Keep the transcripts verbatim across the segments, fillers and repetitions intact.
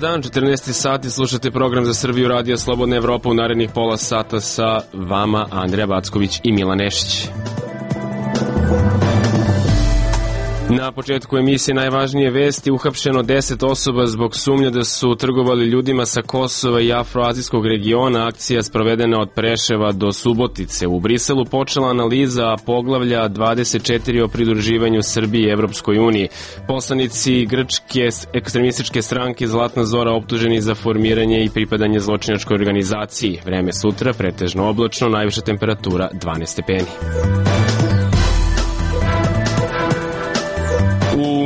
dan, četrnaesti sati, slušate program za Srbiju, Radio Slobodna Evropa. U narednih pola sata sa vama Andreja Backović i Milan Nešić. Na početku emisije najvažnije vesti: uhapšeno deset osoba zbog sumnje da su trgovali ljudima sa Kosova i afroazijskog regiona. Akcija sprovedena od Preševa do Subotice. U Briselu počela analiza poglavlja dvadeset četiri o pridruživanju Srbije i Evropskoj uniji. Poslanici grčke ekstremističke stranke Zlatna Zora optuženi za formiranje i pripadanje zločinačkoj organizaciji. Vreme sutra pretežno oblačno, najviša temperatura dvanaest stepeni.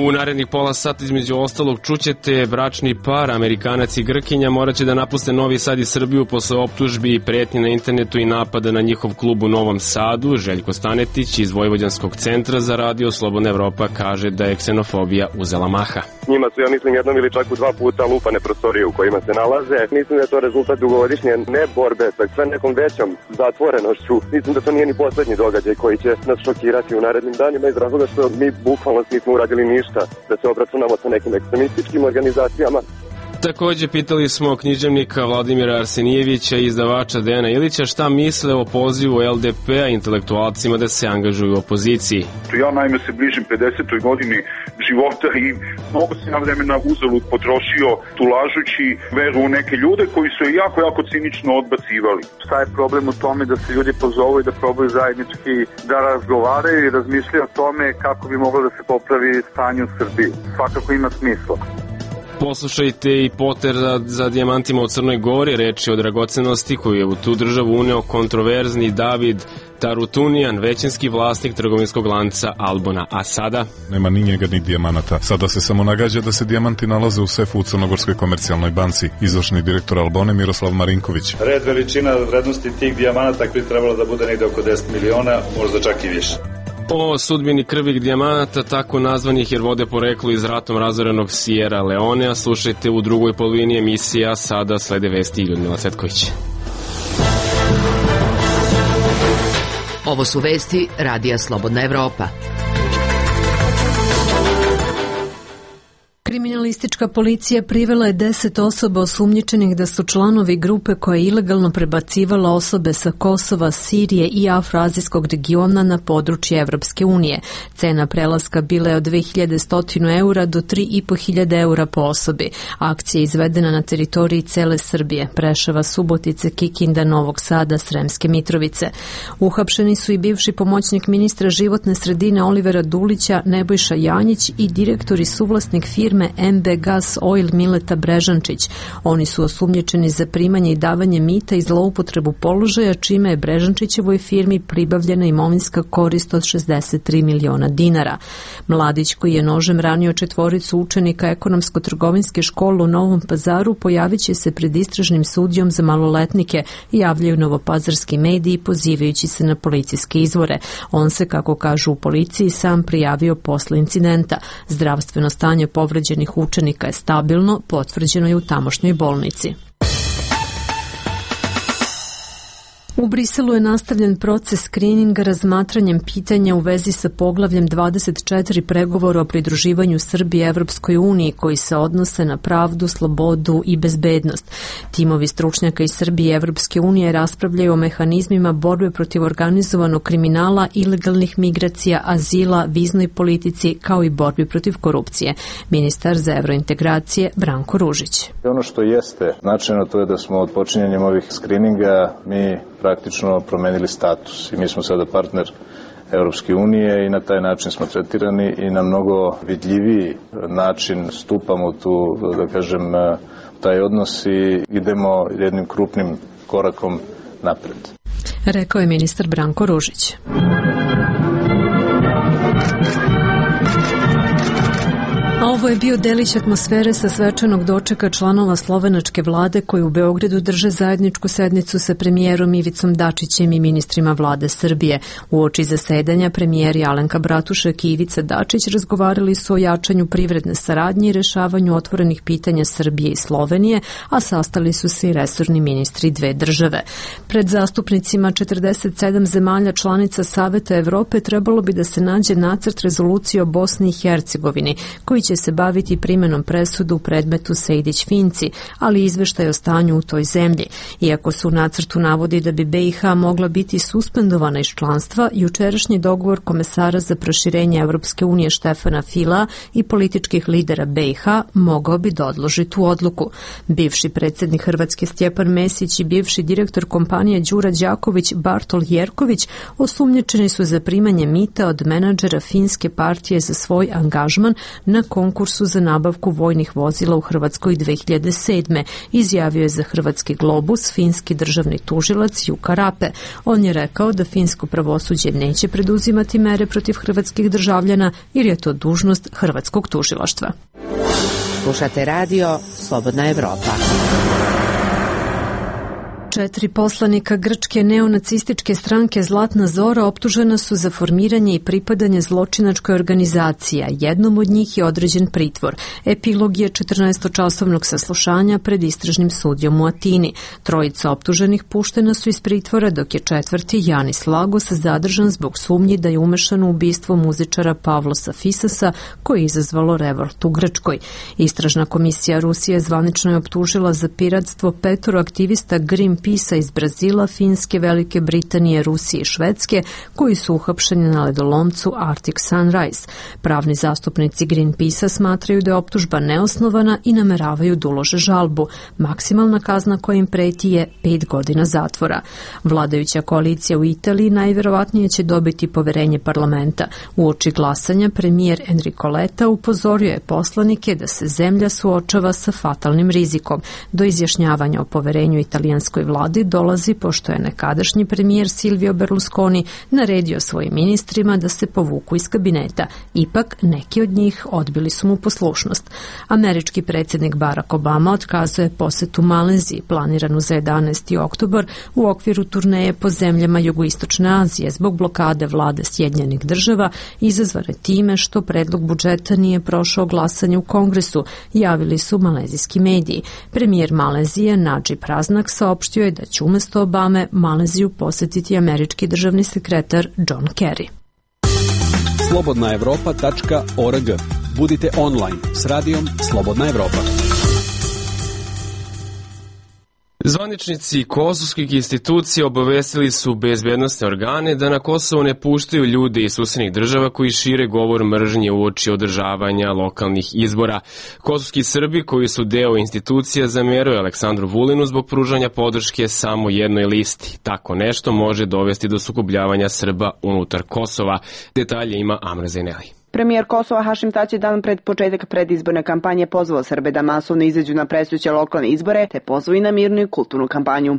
U narednih pola sata između ostalog čućete bračni par, Amerikanac i Grkinja, moraće da napuste Novi Sad i Srbiju posle optužbi i pretnji na internetu i napada na njihov klub u Novom Sadu. Željko Stanetić iz Vojvođanskog centra za Radio Slobodna Evropa kaže da je ksenofobija uzela maha. Njima su, ja mislim, jednom ili čak u dva puta lupane prostorije u kojima se nalaze. Mislim da je to rezultat dugovodišnje ne borbe sa sve nekom većom zatvorenošću. Mislim da to nije ni poslednji događaj koji će nas šokirati u narednim danima, iz razloga što mi bukvalno nismo uradili ništa da se obračunamo sa nekim ekstremističkim organizacijama. Takođe pitali smo književnika Vladimira Arsenijevića i izdavača Dejana Ilića šta misle o pozivu L D P-a intelektualcima da se angažuju u opoziciji. Ja naime se bližim pedesetoj godini života i mnogo se na vremena uzalud potrošio tulažući veru u neke ljude koji su je jako, jako cinično odbacivali. Šta je problem u tome da se ljudi pozovu i da probaju zajednički da razgovaraju i razmišljaju o tome kako bi moglo da se popravi stanje u Srbiji? Svakako ima smisla. Poslušajte i Poter za, za dijamantima u Crnoj Gori, reč je o dragocenosti koju je u tu državu uneo kontroverzni David Tarutunijan, većinski vlasnik trgovinskog lanca Albona. A sada? Nema ni njega ni dijamanata. Sada se samo nagađa da se dijamanti nalaze u sefu u Crnogorskoj komercijalnoj banci. Izvršni direktor Albone Miroslav Marinković. Red veličina vrednosti tih dijamanata bi trebalo da bude negde oko deset miliona, možda čak i više. O sudbini krvih dijamanata, tako nazvanih jer vode poreklo iz ratom razorenog Sierra Leonea, slušajte u drugoj polovini emisija. Sada slede vesti i Ljudmila Cvetković. Ovo su vesti Radija Slobodna Evropa. Kriminalistička policija privela je deset osoba osumnjičenih da su članovi grupe koja je ilegalno prebacivala osobe sa Kosova, Sirije i afroazijskog regiona na područje Evropske unije. Cena prelaska bila je od dve hiljade sto eura do tri i po hiljade eura po osobi. Akcija je izvedena na teritoriji cele Srbije, Preševa, Subotice, Kikinda, Novog Sada, Sremske Mitrovice. Uhapšeni su i bivši pomoćnik ministra životne sredine Olivera Dulića, Nebojša Janjić i direktor i suvlasnik firme M B Gas Oil Mileta Brežančić. Oni su osumnjičeni za primanje i davanje mita i zloupotrebu položaja, čime je Brežančićevoj firmi pribavljena imovinska korist od šezdeset tri miliona dinara. Mladić, koji je nožem ranio četvoricu učenika ekonomsko-trgovinske škole u Novom Pazaru, pojavit će se pred istražnim sudijom za maloletnike, javljaju novopazarski mediji pozivajući se na policijske izvore. On se, kako kažu u policiji, sam prijavio posle incidenta. Zdravstveno stanje povređenih učenika je stabilno, potvrđeno je u tamošnjoj bolnici. U Briselu je nastavljen proces skrininga razmatranjem pitanja u vezi sa poglavljem dvadeset četiri pregovora o pridruživanju Srbije Evropskoj uniji koji se odnose na pravdu, slobodu i bezbednost. Timovi stručnjaka iz Srbije i Evropske unije raspravljaju o mehanizmima borbe protiv organizovanog kriminala, ilegalnih migracija, azila, viznoj politici kao i borbi protiv korupcije. Ministar za evrointegracije Branko Ružić. Ono što jeste značajno to je da smo od počinjenjem ovih skrininga mi praktično promenili status i mi smo sada partner Evropske unije i na taj način smo tretirani i na mnogo vidljiviji način stupamo tu, da kažem, taj odnos i idemo jednim krupnim korakom napred. Rekao je ministar Branko Ružić. A ovo je bio delić atmosfere sa svečanog dočeka članova slovenačke vlade koji u Beogradu drže zajedničku sednicu sa premijerom Ivicom Dačićem i ministrima vlade Srbije. Uoči zasedanja premijeri Alenka Bratušek i Ivica Dačić razgovarali su o jačanju privredne saradnje i rešavanju otvorenih pitanja Srbije i Slovenije, a sastali su se i resorni ministri dve države. Pred zastupnicima četrdeset sedam zemalja članica Saveta Evrope trebalo bi da se nađe nacrt rezolucije o Bosni i Hercegovini, koji će se baviti primenom presudu u predmetu Sejdić-Finci, ali izveštaj o stanju u toj zemlji. Iako su u nacrtu navodi da bi B i H mogla biti suspendovana iz članstva, jučerašnji dogovor komesara za proširenje Evropske unije Štefana Fila i političkih lidera B i H mogao bi da odloži tu odluku. Bivši predsjednik Hrvatske Stjepan Mesić i bivši direktor kompanije Đura Đaković Bartol Jerković osumnjičeni su za primanje mita od menadžera finske partije za svoj angažman na konkursu za nabavku vojnih vozila u Hrvatskoj dve hiljade sedme. Izjavio je za Hrvatski Globus finski državni tužilac Jukka Rape. On je rekao da finsko pravosuđe neće preduzimati mere protiv hrvatskih državljana jer je to dužnost hrvatskog tužilaštva. Slušate radio Slobodna Evropa. Četiri poslanika grčke neonacističke stranke Zlatna Zora optužena su za formiranje i pripadanje zločinačkoj organizaciji, a jednom od njih je određen pritvor. Epilog je četrnaestočasovnog saslušanja pred istražnim sudijom u Atini. Trojica optuženih puštena su iz pritvora, dok je četvrti, Janis Lagos, zadržan zbog sumnji da je umešan u ubistvo muzičara Pavlosa Fisasa, koje je izazvalo revolt u Grčkoj. Istražna komisija Rusije zvanično je optužila za piratstvo petoro aktivista Greenpeace iz Brazila, Finske, Velike Britanije, Rusije i Švedske, koji su uhapšeni na ledolomcu Arctic Sunrise. Pravni zastupnici Greenpeace-a smatraju da je optužba neosnovana i nameravaju da ulože žalbu. Maksimalna kazna koja im preti je pet godina zatvora. Vladajuća koalicija u Italiji najverovatnije će dobiti poverenje parlamenta. Uoči glasanja premijer Enrico Letta upozorio je poslanike da se zemlja suočava sa fatalnim rizikom. Do izjašnjavanja o poverenju italijanskoj vladi dolazi pošto je nekadašnji premijer Silvio Berlusconi naredio svojim ministrima da se povuku iz kabineta. Ipak, neki od njih odbili su mu poslušnost. Američki predsjednik Barack Obama otkazuje posetu Maleziji planiranu za jedanaesti oktobar u okviru turneje po zemljama jugoistočne Azije zbog blokade vlade Sjedinjenih država izazvane time što predlog budžeta nije prošao glasanje u Kongresu, javili su malezijski mediji. Premijer Malezije Nadžib Raznak saopštio je da će umjesto Obame Maleziju posjetiti američki državni sekretar John Kerry. slobodna evropa tačka org. Budite online s radijom Slobodna Evropa. Zvaničnici kosovskih institucija obavestili su bezbednosne organe da na Kosovo ne puštaju ljude iz susednih država koji šire govor mržnje uoči održavanja lokalnih izbora. Kosovski Srbi koji su deo institucija zameraju Aleksandru Vulinu zbog pružanja podrške samo jednoj listi. Tako nešto može dovesti do sukobljavanja Srba unutar Kosova. Detalje ima Amra Zaineli. Premijer Kosova Hašim Tači je dan pred početak predizborne kampanje pozvao Srbe da masovno izađu na predstojeće lokalne izbore, te pozvao i na mirnu i kulturnu kampanju.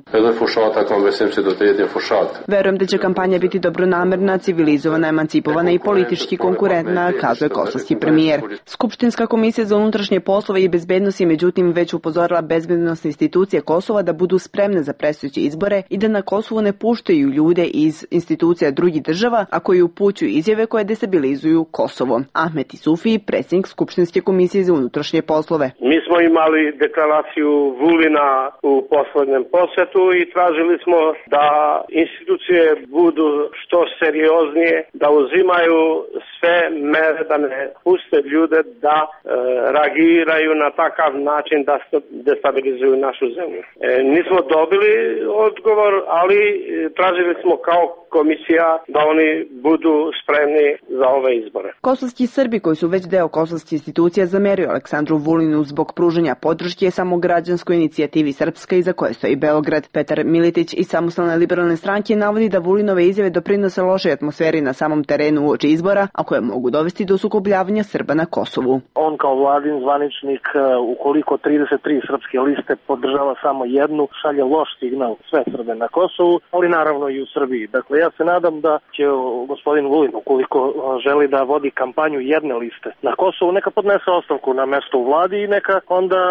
Verujem da će kampanja biti dobronamerna, civilizovana, emancipovana i politički konkurentna, kazuje kosovski premijer. Skupštinska komisija za unutrašnje poslove i bezbednost je međutim već upozorila bezbednosne institucije Kosova da budu spremne za predstojeće izbore i da na Kosovu ne puštaju ljude iz institucija drugih država, a koji upućuju izjave koje destabilizuju Kosovo. Ahmet Isufi, predsjednik Skupštinske komisije za unutrašnje poslove. Mi smo imali deklaraciju Vulina u poslednjem posjetu i tražili smo da institucije budu što serioznije, da uzimaju sve mere da ne puste ljude da e, reagiraju na takav način da destabilizuju našu zemlju. E, nismo dobili odgovor, ali tražili smo kao komisija da oni budu spremni za ove izbore. Kosovski Srbi koji su već deo kosovskih institucija zameraju Aleksandru Vulinu zbog pružanja podrške samograđanskoj inicijativi Srpska iza koje stoji Beograd. Petar Militić iz Samostalne liberalne stranke navodi da Vulinove izjave doprinose lošoj atmosferi na samom terenu uoči izbora, a koje mogu dovesti do sukobljavanja Srba na Kosovu. On kao vladin zvaničnik, ukoliko trideset tri srpske liste podržava samo jednu, šalje loš signal sve Srbe na Kosovu, ali naravno i u Srbiji. Dakle, ja se nadam da će gospodin Vulin, ukoliko želi da vodi kampanju jedne liste na Kosovu, neka podnese ostavku na mesto u vladi i neka onda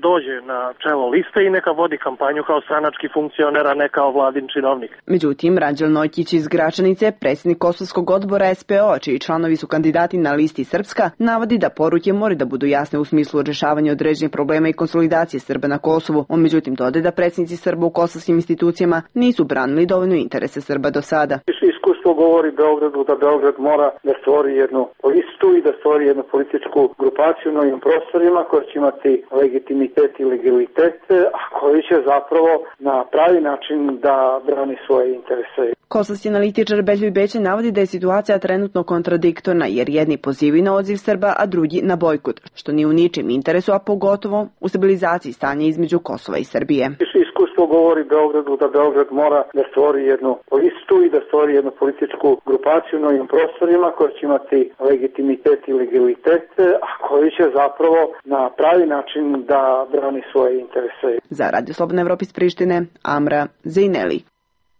dođe na čelo liste i neka vodi kampanju kao stranački funkcioner, a ne kao vladin činovnik. Međutim, Ranđel Nojkić iz Gračanice, predsjednik Kosovskog odbora S P O, čiji članovi su kandidati na listi Srpska, navodi da poruke moraju da budu jasne u smislu rješavanja određenih problema i konsolidacije Srba na Kosovu. On međutim dode da predsjednici Srba u kosovskim institucijama nisu branili dovoljno interese Srba do sada. Iskustvo govori Beogradu da Beograd mora da stvori jednu listu i da stvori jednu političku grupaciju na ovim prostorima koja će imati legitimitet i legalitet, a koji će zapravo na pravi način da brani svoje interese. Kosovski analitičar Beljoj Bećan navodi da je situacija trenutno kontradiktorna jer jedni pozivaju na odziv Srba, a drugi na bojkot, što nije u ničem interesu, a pogotovo u stabilizaciji stanja između Kosova i Srbije. Iskustvo govori Beogradu da Beograd mora da stvori jednu listu i da stvori jednu političku grupaciju na ovim prostorima koja će imati legitimitet i legalitet, a koji će zapravo na pravi način da brani svoje interese. Za Radio Slobodna Evropa iz Prištine, Amra Zejneli.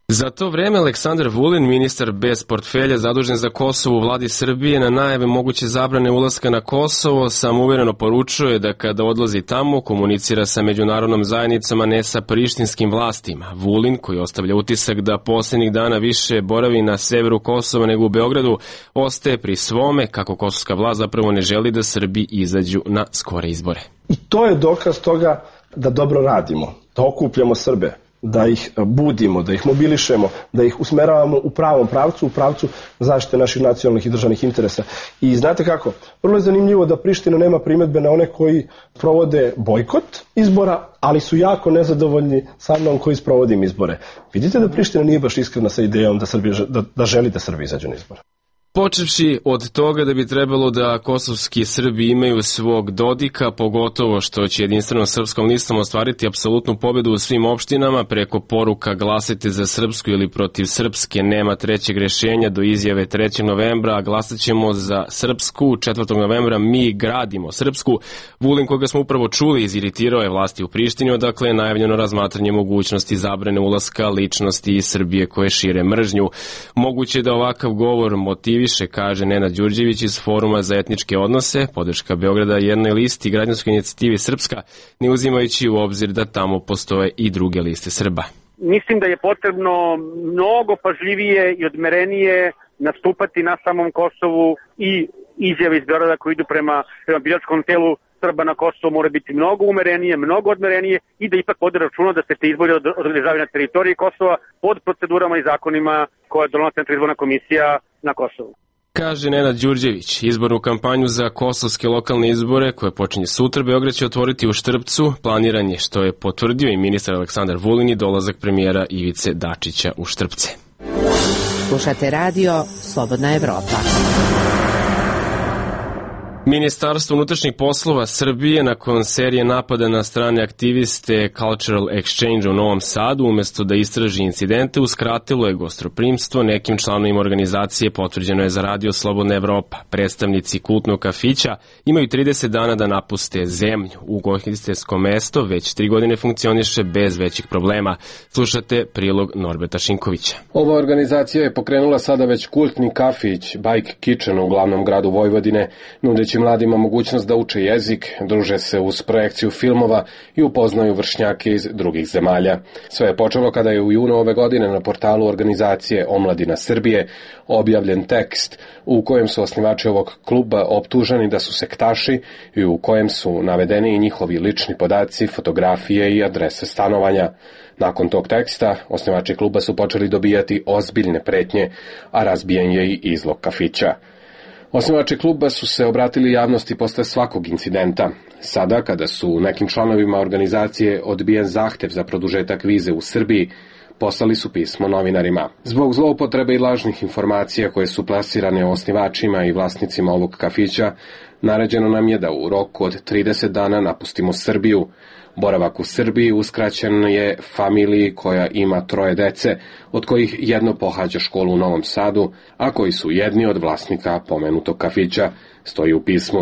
Za to vreme Aleksandar Vulin, ministar bez portfelja zadužen za Kosovo u vladi Srbije, na najave moguće zabrane ulaska na Kosovo samouvereno poručuje da kada odlazi tamo komunicira sa međunarodnom zajednicom, a ne sa prištinskim vlastima. Vulin, koji ostavlja utisak da posljednjih dana više boravi na severu Kosova nego u Beogradu, ostaje pri svome kako kosovska vlast zapravo ne želi da Srbi izađu na skore izbore. I to je dokaz toga da dobro radimo, da okupljamo Srbe, da ih budimo, da ih mobilišemo, da ih usmeravamo u pravom pravcu, u pravcu zaštite naših nacionalnih i državnih interesa. I znate kako, vrlo je zanimljivo da Priština nema primjedbe na one koji provode bojkot izbora, ali su jako nezadovoljni sa mnom koji sprovodim izbore. Vidite da Priština nije baš iskrena sa idejom da, Srbija, da, da želi da Srbi izađu na izbore. Počevši od toga da bi trebalo da kosovski Srbi imaju svog Dodika, pogotovo što će jedinstvenom srpskom listom ostvariti apsolutnu pobedu u svim opštinama, preko poruka glasajte za srpsku ili protiv srpske, nema trećeg rešenja, do izjave trećeg novembra, a glasat ćemo za srpsku, četvrtog novembra mi gradimo srpsku. Vulin, koga smo upravo čuli, iziritirao je vlasti u Prištini, odakle je najavljeno razmatranje mogućnosti zabrane ulaska ličnosti iz Srbije koje šire mržnju. Moguće da ovakav govor motivi više, kaže Nenad Đurđević iz Foruma za etničke odnose, podrška Beograda jednoj listi građanskoj inicijativi Srpska, ne uzimajući u obzir da tamo postoje i druge liste Srba. Mislim da je potrebno mnogo pažljivije i odmerenije nastupati na samom Kosovu i izjave iz Beograda koji idu prema, prema biračkom telu Srba na Kosovu mora biti mnogo umerenije, mnogo odmerenije i da ipak vode računa da se te izbori održavaju na teritoriji Kosova pod procedurama i zakonima koje donosi Centralna izborna komisija na Kosovu. Kaže Nenad Đurđević, izbornu kampanju za kosovske lokalne izbore koje počinje sutra Beograd će otvoriti u Štrpcu. Planiran je, što je potvrdio i ministar Aleksandar Vulin, i dolazak premijera Ivice Dačića u Štrpce. Slušate radio Slobodna Evropa. Ministarstvo unutrašnjih poslova Srbije nakon serije napada na strane aktiviste Cultural Exchange u Novom Sadu, umesto da istraži incidente, uskratilo je gostoprimstvo nekim članovima organizacije, potvrđeno je za radio Slobodna Evropa. Predstavnici kultnog kafića imaju trideset dana da napuste zemlju. Ugostiteljsko mesto već tri godine funkcioniše bez većih problema. Slušate prilog Norberta Šinkovića. Ova organizacija je pokrenula sada već kultni kafić Bike Kitchen u glavnom gradu Vojvodine, nudeći mladima mogućnost da uče jezik, druže se uz projekciju filmova i upoznaju vršnjake iz drugih zemalja. Sve je počelo kada je u junu ove godine na portalu organizacije Omladina Srbije objavljen tekst u kojem su osnivači ovog kluba optuženi da su sektaši i u kojem su navedeni i njihovi lični podaci, fotografije i adrese stanovanja. Nakon tog teksta, osnivači kluba su počeli dobijati ozbiljne pretnje, a razbijen je i izlog kafića. Osnivači kluba su se obratili javnosti posle svakog incidenta. Sada, kada su nekim članovima organizacije odbijen zahtev za produžetak vize u Srbiji, poslali su pismo novinarima. Zbog zloupotrebe i lažnih informacija koje su plasirane osnivačima i vlasnicima ovog kafića, naređeno nam je da u roku od trideset dana napustimo Srbiju. Boravak u Srbiji uskraćen je familiji koja ima troje dece, od kojih jedno pohađa školu u Novom Sadu, a koji su jedni od vlasnika pomenutog kafića, stoji u pismu.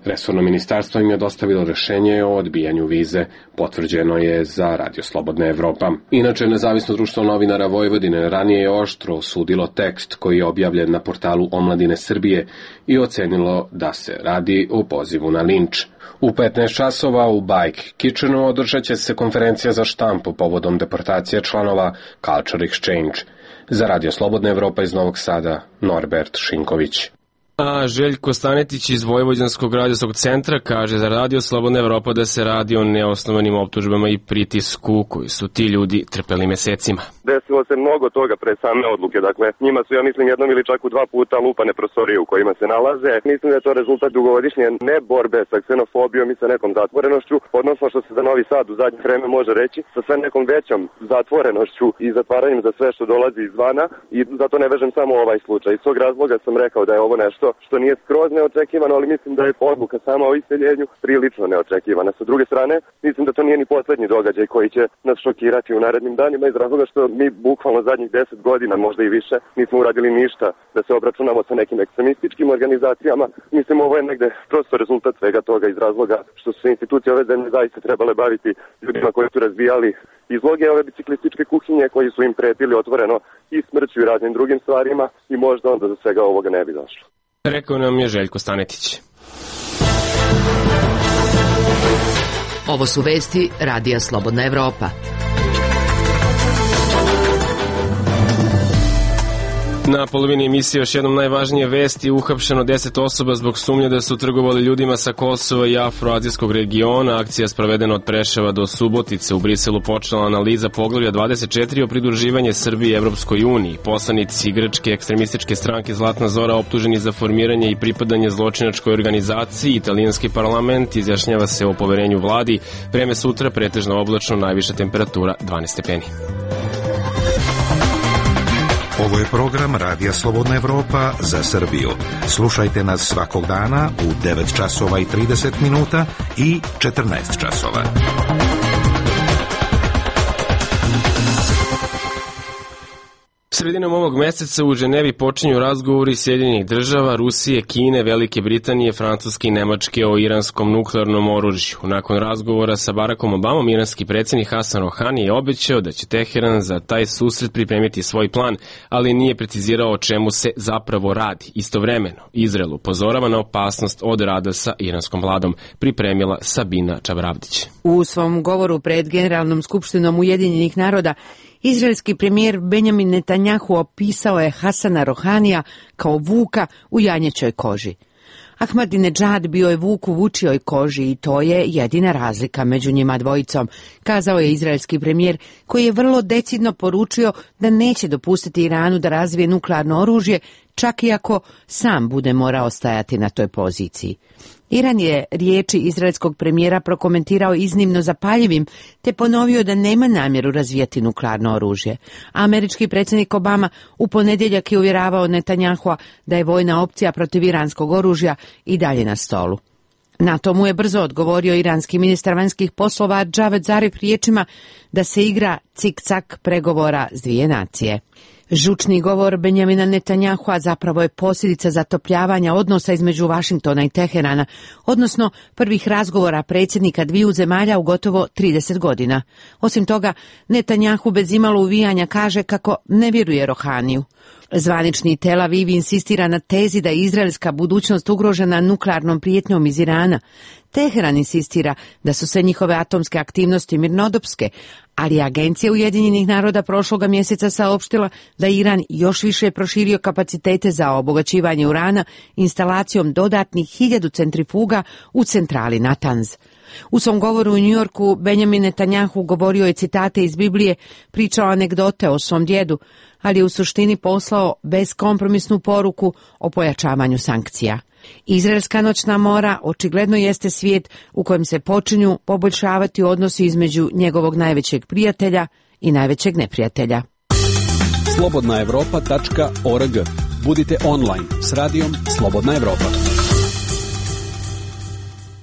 Resorno ministarstvo im je dostavilo rešenje o odbijanju vize, potvrđeno je za Radio Slobodna Evropa. Inače, Nezavisno društvo novinara Vojvodine ranije je oštro osudilo tekst koji je objavljen na portalu Omladine Srbije i ocenilo da se radi o pozivu na linč. U petnaest časova u Bike Kitchenu održat će se konferencija za štampu povodom deportacije članova Culture Exchange. Za Radio Slobodna Evropa iz Novog Sada, Norbert Šinković. A Željko Stanetić iz Vojvođanskog radijskog centra kaže za Radio Slobodna Evropa da se radi o neosnovanim optužbama i pritisku koji su ti ljudi trpeli mesecima. Desilo se mnogo toga pre same odluke, dakle njima su, ja mislim, jednom ili čak u dva puta lupane prostorije u kojima se nalaze. Mislim da je to rezultat dugovodišnje ne borbe sa ksenofobijom i sa nekom zatvorenošću, odnosno što se za Novi Sad u zadnje vreme može reći, sa sve nekom većom zatvorenošću i zatvaranjem za sve što dolazi izvana, i zato ne vežem samo ovaj slučaj. Iz tog razloga sam rekao da je ovo nešto što nije skroz neočekivano, ali mislim da je odluka sama o iseljenju prilično neočekivana. Sa druge strane, mislim da to nije ni poslednji događaj koji će nas šokirati u narednim danima, iz razloga što mi bukvalno zadnjih deset godina, možda i više, nismo uradili ništa da se obračunamo sa nekim ekstremističkim organizacijama. Mislim, ovo je negde prosto rezultat svega toga, iz razloga što su se institucije ove zemlje zaista trebale baviti ljudima koji su razbijali izloge ove biciklističke kuhinje, koji su im pretili otvoreno i smrću i raznim drugim stvarima, i možda onda do svega ovoga ne bi došlo. Rekao nam je Željko Stanetić. Ovo su vesti Radija Slobodna Evropa. Na polovini emisije još jednom najvažnije vesti: uhapšeno deset osoba zbog sumnje da su trgovali ljudima sa Kosova i afroazijskog regiona. Akcija sprovedena od Preševa do Subotice. U Briselu počela analiza poglavlja dvadeset četiri o pridruživanje Srbije Evropskoj uniji. Poslanici grčke ekstremističke stranke Zlatna Zora optuženi za formiranje i pripadanje zločinačkoj organizaciji. Italijanski parlament izjašnjava se o poverenju vladi. Vreme sutra pretežno oblačno, najviša temperatura dvanaest stepeni. Ovo je program Radija Slobodna Evropa za Srbiju. Slušajte nas svakog dana u devet časova i trideset minuta i četrnaest časova. Sredinom ovog meseca u Ženevi počinju razgovori Sjedinjenih država, Rusije, Kine, Velike Britanije, Francuske i Nemačke o iranskom nuklearnom oružju. Nakon razgovora sa Barackom Obamom, iranski predsjednik Hasan Rohani je obećao da će Teheran za taj susret pripremiti svoj plan, ali nije precizirao o čemu se zapravo radi. Istovremeno, Izrael upozorava na opasnost od rada sa iranskom vladom, pripremila Sabina Čavravdić. U svom govoru pred Generalnom skupštinom Ujedinjenih naroda, izraelski premijer Benjamin Netanjahu opisao je Hasana Rohanija kao vuka u janjećoj koži. Ahmadinedžad bio je vuk u vučijoj koži i to je jedina razlika među njima dvojicom, kazao je izraelski premijer, koji je vrlo decidno poručio da neće dopustiti Iranu da razvije nuklearno oružje, čak i ako sam bude morao stajati na toj poziciji. Iran je riječi izraelskog premijera prokomentirao iznimno zapaljivim, te ponovio da nema namjeru razvijati nuklearno oružje. Američki predsjednik Obama u ponedjeljak je uvjeravao Netanjahua da je vojna opcija protiv iranskog oružja i dalje na stolu. Na to mu je brzo odgovorio iranski ministar vanjskih poslova Džaved Zarif riječima da se igra cik-cak pregovora s dvije nacije. Žučni govor Benjamina Netanjahua zapravo je posljedica zatopljavanja odnosa između Vašingtona i Teherana, odnosno prvih razgovora predsjednika dviju zemalja u gotovo trideset godina. Osim toga, Netanjahu bez imalo uvijanja kaže kako ne vjeruje Rohaniju. Zvanični Tel Aviv insistira na tezi da je izraelska budućnost ugrožena nuklearnom prijetnjom iz Irana. Teheran insistira da su sve njihove atomske aktivnosti mirnodopske, ali Agencija Ujedinjenih naroda prošloga mjeseca saopštila da Iran još više proširio kapacitete za obogaćivanje urana instalacijom dodatnih hiljadu centrifuga u centrali Natanz. U svom govoru u Njujorku Benjamin Netanjahu govorio je citate iz Biblije, pričao anegdote o svom djedu, ali je u suštini poslao beskompromisnu poruku o pojačavanju sankcija. Izraelska noćna mora očigledno jeste svijet u kojem se počinju poboljšavati odnosi između njegovog najvećeg prijatelja i najvećeg neprijatelja. slobodna evropa tačka org. Budite online s radijom Slobodna Evropa.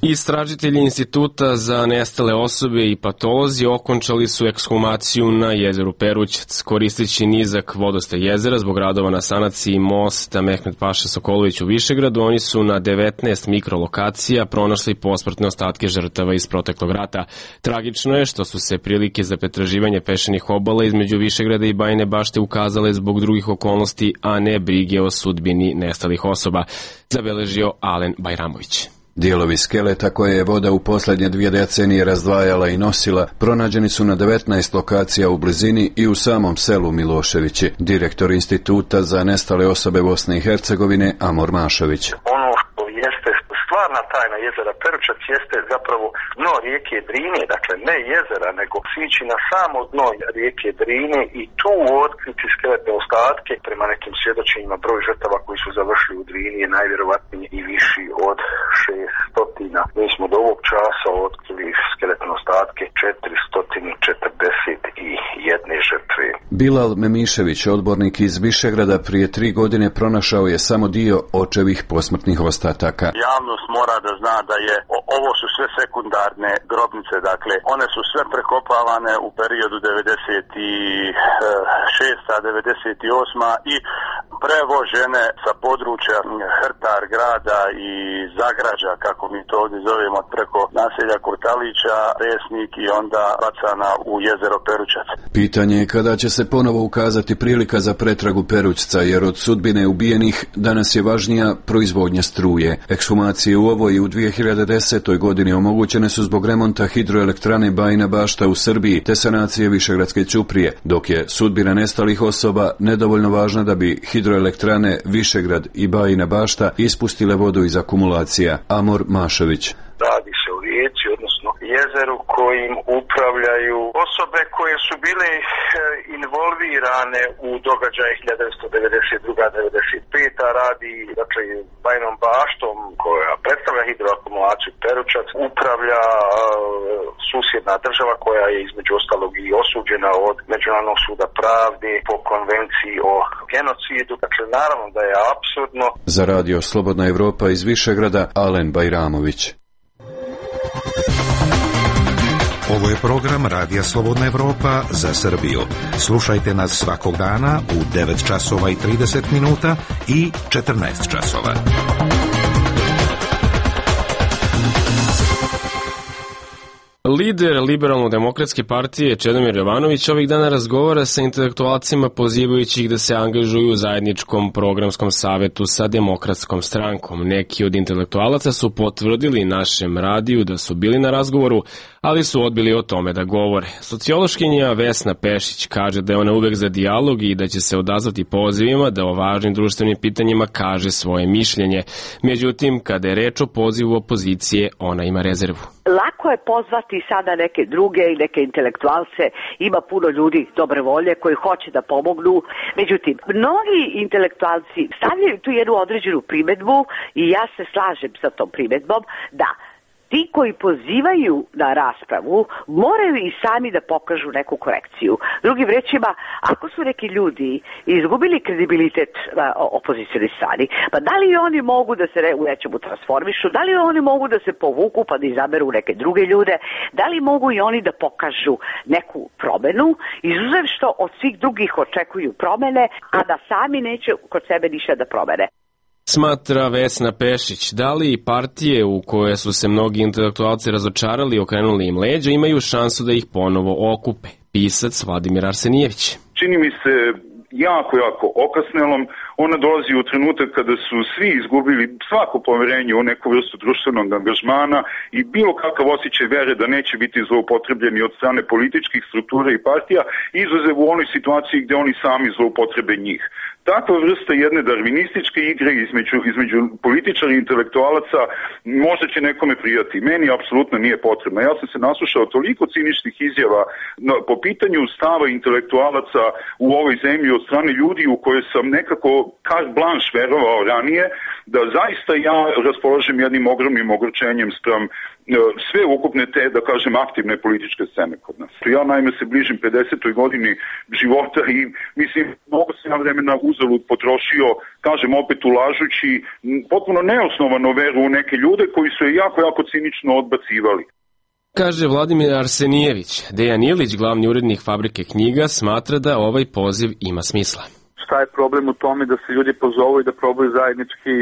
Istražitelji Instituta za nestale osobe i patolozi okončali su ekshumaciju na jezeru Perućac. Koristeći nizak vodostaj jezera zbog radova na sanaciji mosta Mehmet Paša Sokolović u Višegradu, oni su na devetnaest mikrolokacija pronašli posmrtne ostatke žrtava iz proteklog rata. Tragično je što su se prilike za pretraživanje peščanih obala između Višegrada i Bajine Bašte ukazale zbog drugih okolnosti, a ne brige o sudbini nestalih osoba, zabeležio Alen Bajramović. Dijelovi skeleta koje je voda u posljednje dvije decenije razdvajala i nosila pronađeni su na devetnaest lokacija u blizini i u samom selu Miloševići. Direktor Instituta za nestale osobe Bosne i Hercegovine Amor Mašović. Ono što jeste stvarna tajna jezera Peručac jeste zapravo dno rijeke Drine, dakle ne jezera, nego sići na samo dno rijeke Drine i tu otkriti skeletne ostatke. Prema nekim svjedočenjima broj žrtava koji su završili u Drini je najvjerovatnije i viši od šeststo. Mi smo do ovog časa otkrili skeletne ostatke četiristo četrdeset jedne žrtve. Bilal Memišević, odbornik iz Višegrada, prije tri godine pronašao je samo dio očevih posmrtnih ostataka. Javnost mora da zna da je ovo su sve sekundarne grobnice, dakle one su sve prekopavane u periodu devedeset šesta devedeset osma i prevožene sa područja Hrtar grada i Zagrađa, kako mi to ovdje zovemo, preko naselja Kurtalića, Resnik i onda bacana u jezero Peručac. Pitanje je kada će se ponovo ukazati prilika za pretragu Perućca, jer od sudbine ubijenih danas je važnija proizvodnja struje. Ekshumacije u ovoj i u dvije hiljade desetoj godini omogućene su zbog remonta hidroelektrane Bajina Bašta u Srbiji te sanacije Višegradske ćuprije, dok je sudbina nestalih osoba nedovoljno važna da bi hidroelektrane Višegrad i Bajina Bašta ispustile vodu iz akumulacija. Amor Mašović. Radi se o rijeci, odnosno jezeru kojim upravljaju osobe koje su bile involvirane u događaje hiljadu devetsto devedeset druga devedeset peta radi, dakle, Bajinom Baštom koja predstavlja hidroakumulaciju Peručac, upravlja uh, susjedna država koja je između ostalog i osuđena od Međunarodnog suda pravde po konvenciji o genocidu. Dakle, naravno da je apsurdno. Za radio Slobodna Evropa iz Višegrada, Alen Bajramović. Ovo je program Radija Slobodna Evropa za Srbiju. Slušajte nas svakog dana u devet časova i trideset minuta i četrnaest časova. Lider Liberalno-demokratske partije Čedomir Jovanović ovih dana razgovara sa intelektualcima pozivajući ih da se angažuju u zajedničkom programskom savetu sa Demokratskom strankom. Neki od intelektualaca su potvrdili našem radiju da su bili na razgovoru, ali su odbili o tome da govore. Sociološkinja Vesna Pešić kaže da je ona uvek za dijalog i da će se odazvati pozivima da o važnim društvenim pitanjima kaže svoje mišljenje. Međutim, kada je reč o pozivu opozicije, ona ima rezervu. Lako je pozvati sada neke druge i neke intelektualce, ima puno ljudi dobre volje koji hoće da pomognu. Međutim, mnogi intelektualci stavljaju tu jednu određenu primedbu i ja se slažem sa tom primedbom da ti koji pozivaju na raspravu moraju i sami da pokažu neku korekciju. Drugim rečima, ako su neki ljudi izgubili kredibilitet na opozicijnoj strani, pa da li oni mogu da se u nečemu transformišu, da li oni mogu da se povuku pa da izaberu neke druge ljude, da li mogu i oni da pokažu neku promenu, izuzev što od svih drugih očekuju promene, a da sami neće kod sebe ništa da promene. Smatra Vesna Pešić, da li partije u koje su se mnogi intelektualci razočarali i okrenuli im leđa imaju šansu da ih ponovo okupe? Pisac Vladimir Arsenijević. Čini mi se jako, jako okasnelom. Ona dolazi u trenutak kada su svi izgubili svako poverenje u neku vrstu društvenog angažmana i bilo kakav osjećaj vere da neće biti zloupotrebljeni od strane političkih struktura i partija, izuzev u onoj situaciji gde oni sami zloupotrebe njih. Takva vrsta jedne darvinističke igre između, između političara i intelektualaca možda će nekome prijati. Meni apsolutno nije potrebno. Ja sam se naslušao toliko ciničnih izjava no, po pitanju stava intelektualaca u ovoj zemlji od strane ljudi u koje sam nekako carte blanche verovao ranije, da zaista ja raspoložem jednim ogromnim ogorčenjem spram sve ukupne te, da kažem, aktivne političke scene kod nas. Ja naime se bližim pedesetoj godini života i mislim, mnogo se na vremena uzalud potrošio, kažem opet ulažući potpuno neosnovano veru u neke ljude koji su je jako, jako cinično odbacivali. Kaže Vladimir Arsenijević. Dejan Ilić, glavni urednik Fabrike knjiga, smatra da ovaj poziv ima smisla. Šta je problem u tome da se ljudi pozovu i da probaju zajednički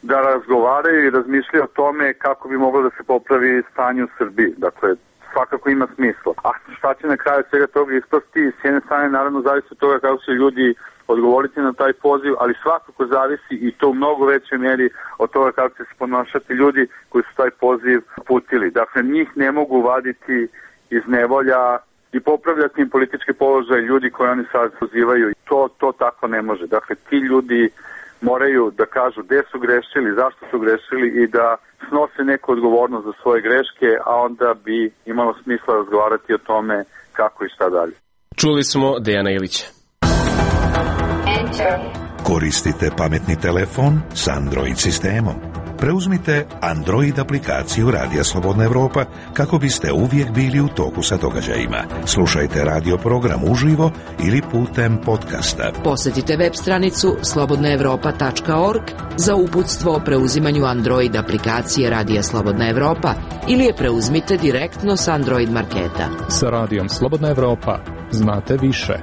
da razgovaraju i razmišljaju o tome kako bi moglo da se popravi stanje u Srbiji. Dakle, svakako ima smisla. A šta će na kraju svega toga ispasti, s jedne strane naravno zavisi od toga kako će ljudi odgovoriti na taj poziv, ali svakako zavisi i to u mnogo većoj mjeri od toga kako će se ponašati ljudi koji su taj poziv putili. Dakle, njih ne mogu vaditi iz nevolja i popravljati im politički položaj ljudi koji oni sad pozivaju. To, to tako ne može. Dakle, ti ljudi moraju da kažu gde su grešili, zašto su grešili i da snose neku odgovornost za svoje greške, a onda bi imalo smisla razgovarati o tome kako i šta dalje. Čuli smo Dejana Ilića. Koristite pametni telefon s Android sistemom. Preuzmite Android aplikaciju Radija Slobodna Evropa kako biste uvijek bili u toku sa događajima. Slušajte radio program uživo ili putem podcasta. Posjetite web stranicu slobodna evropa tačka org za uputstvo o preuzimanju Android aplikacije Radija Slobodna Evropa ili je preuzmite direktno s Android marketa. Sa Radijom Slobodna Evropa znate više.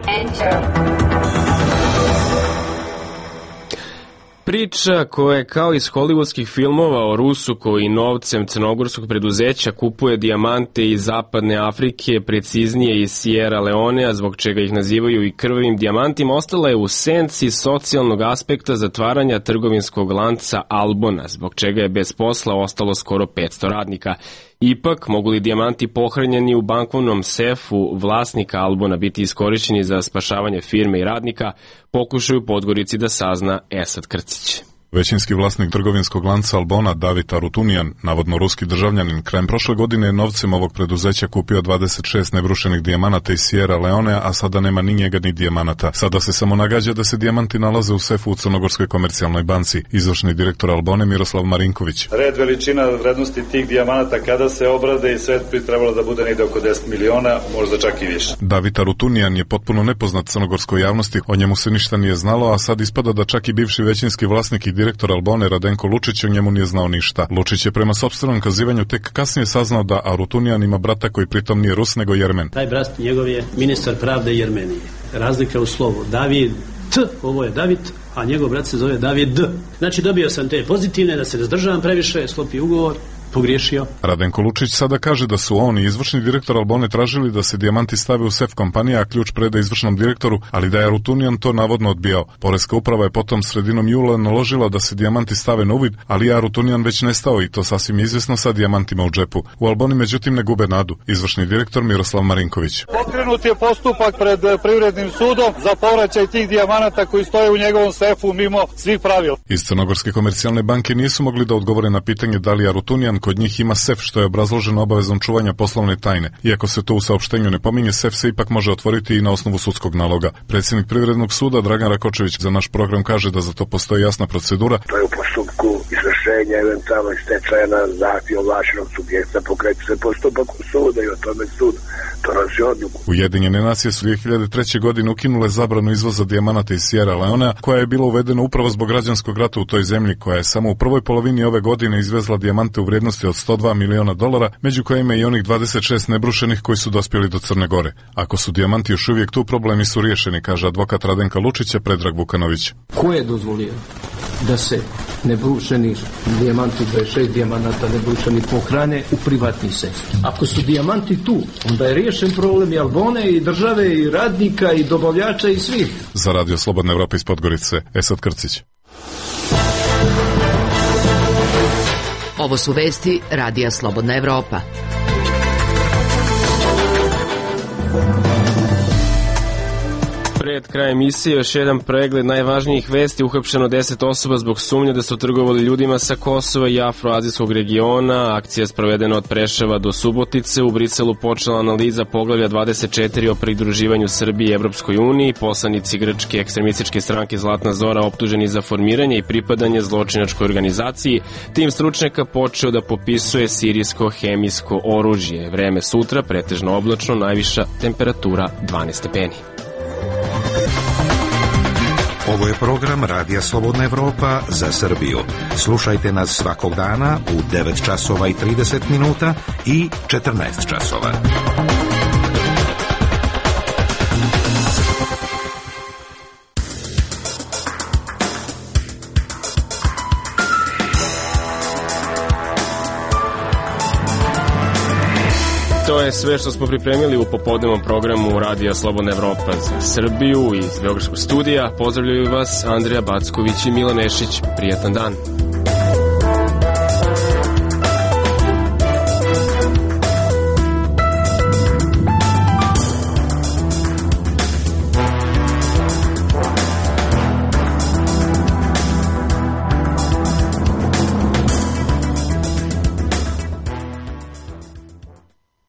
Priča koja je kao iz hollywoodskih filmova o Rusu koji novcem crnogorskog preduzeća kupuje dijamante iz zapadne Afrike, preciznije iz Sierra Leonea, zbog čega ih nazivaju i krvavim dijamantima, ostala je u senci socijalnog aspekta zatvaranja trgovinskog lanca Albona, zbog čega je bez posla ostalo skoro petsto radnika. Ipak, mogu li dijamanti pohranjeni u bankovnom sefu vlasnika Albona biti iskorišćeni za spašavanje firme i radnika, pokušaju Podgorici da sazna Esad Krcić. Većinski vlasnik trgovinskog lanca Albona, David Arutunian, navodno ruski državljanin, krajem prošle godine je novcem ovog preduzeća kupio dvadeset šest nebrušenih dijamanata iz Sierra Leonea, a sada nema ni njega ni dijamanata. Sada se samo nagađa da se dijamanti nalaze u sefu u Crnogorskoj komercijalnoj banci. Izvršni direktor Albone Miroslav Marinković. Red veličina vrednosti tih dijamanata kada se obrade i sve bi trebalo da bude negde oko deset miliona, možda čak i više. David Arutunian je potpuno nepoznat crnogorskoj javnosti, o njemu se ništa nije znalo, a sad ispada da čak i bivši većinski vlasnik i direktor Albone Radenko Lučić o njemu nije znao ništa. Lučić je prema sopstvenom kazivanju tek kasnije saznao da Arutunian ima brata koji pritom nije Rus nego Jermen. Taj brat njegov je ministar pravde Jermenije. Razlika u slovu. David T, ovo je David, a njegov brat se zove David D. Znači dobio sam te pozitivne, da se razdržavam previše, sklopi ugovor, pogriješio. Radenko Lučić sada kaže da su on i izvršni direktor Albone tražili da se dijamanti stave u sef kompanije, a ključ preda izvršnom direktoru, ali da je Arutunian to navodno odbijao. Poreska uprava je potom sredinom jula naložila da se dijamanti stave na uvid, ali je Arutunian već nestao i to sasvim izvjesno sa dijamantima u džepu. U Alboni međutim ne gube nadu. Izvršni direktor Miroslav Marinković. Pokrenut je postupak pred privrednim sudom za povraćaj tih dijamanata koji stoje u njegovom sefu mimo svih pravila. Iz Crnogorske komercijalne banke nisu mogli da odgovore na pitanje da li Arutunian kod njih ima sef, što je obrazloženo obavezom čuvanja poslovne tajne. Iako se to u saopštenju ne pominje, sef se ipak može otvoriti i na osnovu sudskog naloga. Predsjednik Privrednog suda Dragan Rakočević za naš program kaže da za to postoji jasna procedura. To je u postupku izvršenja eventualno stečaja na zahtjev ovlašćenog subjekta, pokreće se postupak u suda i o tome sud donosi odluku. Ujedinjene nacije su dvije hiljade treće. godine ukinule zabranu izvoza dijamanata iz Sierra Leonea, koja je bila uvedena upravo zbog građanskog rata u toj zemlji, koja je samo u prvoj polovini ove godine izvezla dijamante u vrijednosti od sto dva miliona dolara, među kojima i onih dvadeset šest nebrušenih koji su dospjeli do Crne Gore. Ako su dijamanti još uvijek tu, problemi su riješeni, kaže advokat Radenka Lučića Predrag Vukanović. Ko je dozvolio da se nebrušeni dijamanti, dvadeset šest dijamanata nebrušeni pohrane u privatni sef? Ako su dijamanti tu, onda je riješen problem i Albone i države i radnika i dobavljača i svih. Za Radio Slobodna Evropa iz Podgorice, Esad Krcić. Ovo su vesti Radija Slobodna Evropa. Pred krajem emisije još jedan pregled najvažnijih vesti. Uhapšeno deset osoba zbog sumnje da su trgovali ljudima sa Kosova i afroazijskog regiona. Akcija je sprovedena od Preševa do Subotice. U Briselu počela analiza poglavlja dvadeset četiri o pridruživanju Srbije Evropskoj uniji. Poslanici grčke ekstremističke stranke Zlatna Zora optuženi za formiranje i pripadanje zločinačkoj organizaciji. Tim stručnjaka počeo da popisuje sirijsko hemijsko oružje. Vreme sutra pretežno oblačno, najviša temperatura dvanaest stepeni. Ovo je program Radija Slobodna Evropa za Srbiju. Slušajte nas svakog dana u devet časova i trideset minuta i četrnaest časova. To je sve što smo pripremili u popodnevnom programu Radija Slobodna Evropa za Srbiju iz Beogradskog studija. Pozdravljaju vas Andrija Backović i Milan Nešić. Prijetan dan.